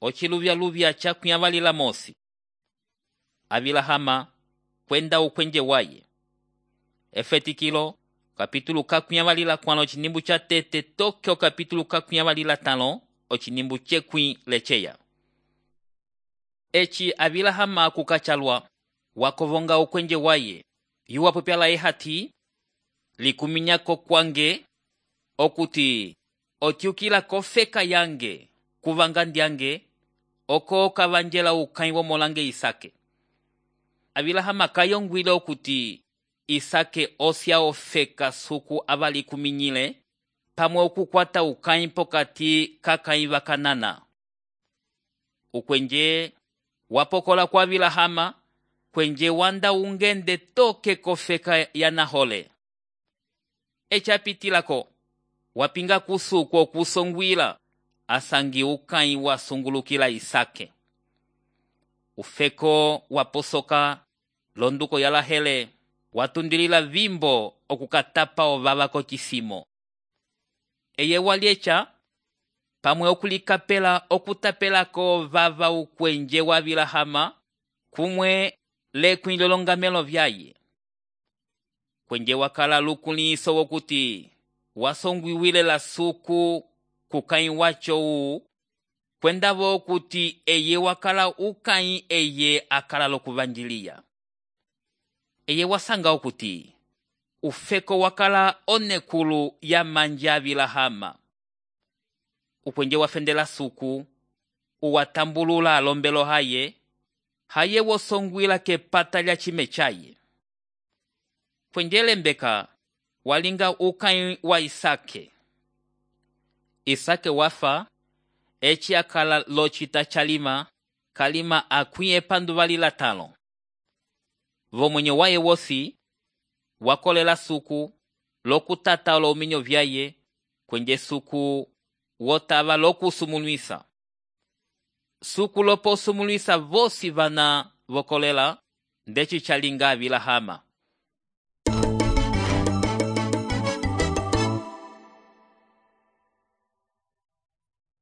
ociluvyaluvya cakuyavalila mosi. Avilahama kwenda ukwenje waye. Efetikilo kapitulu kakuyavalila kwano cinimbu ca tete toke o kapitulu kakuyavalila talo o cinimbu cekwi leceya. Eci avilahama kukacalwa wakovonga ukwenje waye yuwapopyala ehati likuminyako kwange okuti otyukila kofeka yange kuvanga ndyange oko kavanjela ukai womolange Isake. Avilahama kayongwile okuti Isake osya ofeka suku avali kuminyile pamwe okukwata ukai pokati kakai vakanana. Ukwenje wapokola kwa Avilahama kwenje wanda ungende toke kofeka ya Nahole. Echapitilako wapinga kusuku okusongwila asangi ukai wasungulukila Isake. Ufeko waposoka londuko ya Lahele watundilila vimbo okukatapa ovava kochisimo. Eye waliecha pamwe okulikapela okutapelako ovava ukwenje wa Avilahama kumwe lekwi lolongamelo vyaye. Kwenje wakala lukuliso wokuti wasongwiwile la suku kukai wacho uu kwendavo okuti eye wakala ukai eye akala lokuvanjilia. Eye wasanga okuti ufeko wakala onekulu ya manja Avilahama. Ukwenje wafendela suku uwatambulula alombelo haye wosongwila kepata lya chime chaye. Kwenje lembeka walinga ukai wa Isake. Isake wafa eci akala lochita chalima kalima akwiye panduvalila talo. Vomwenye waye wosi wakolela suku lokutata olominyo vyaye kwenje suku wotava lokusumulwisa. Suku loposumulwisa vosi vana vokolela ndeci chalinga Avilahama.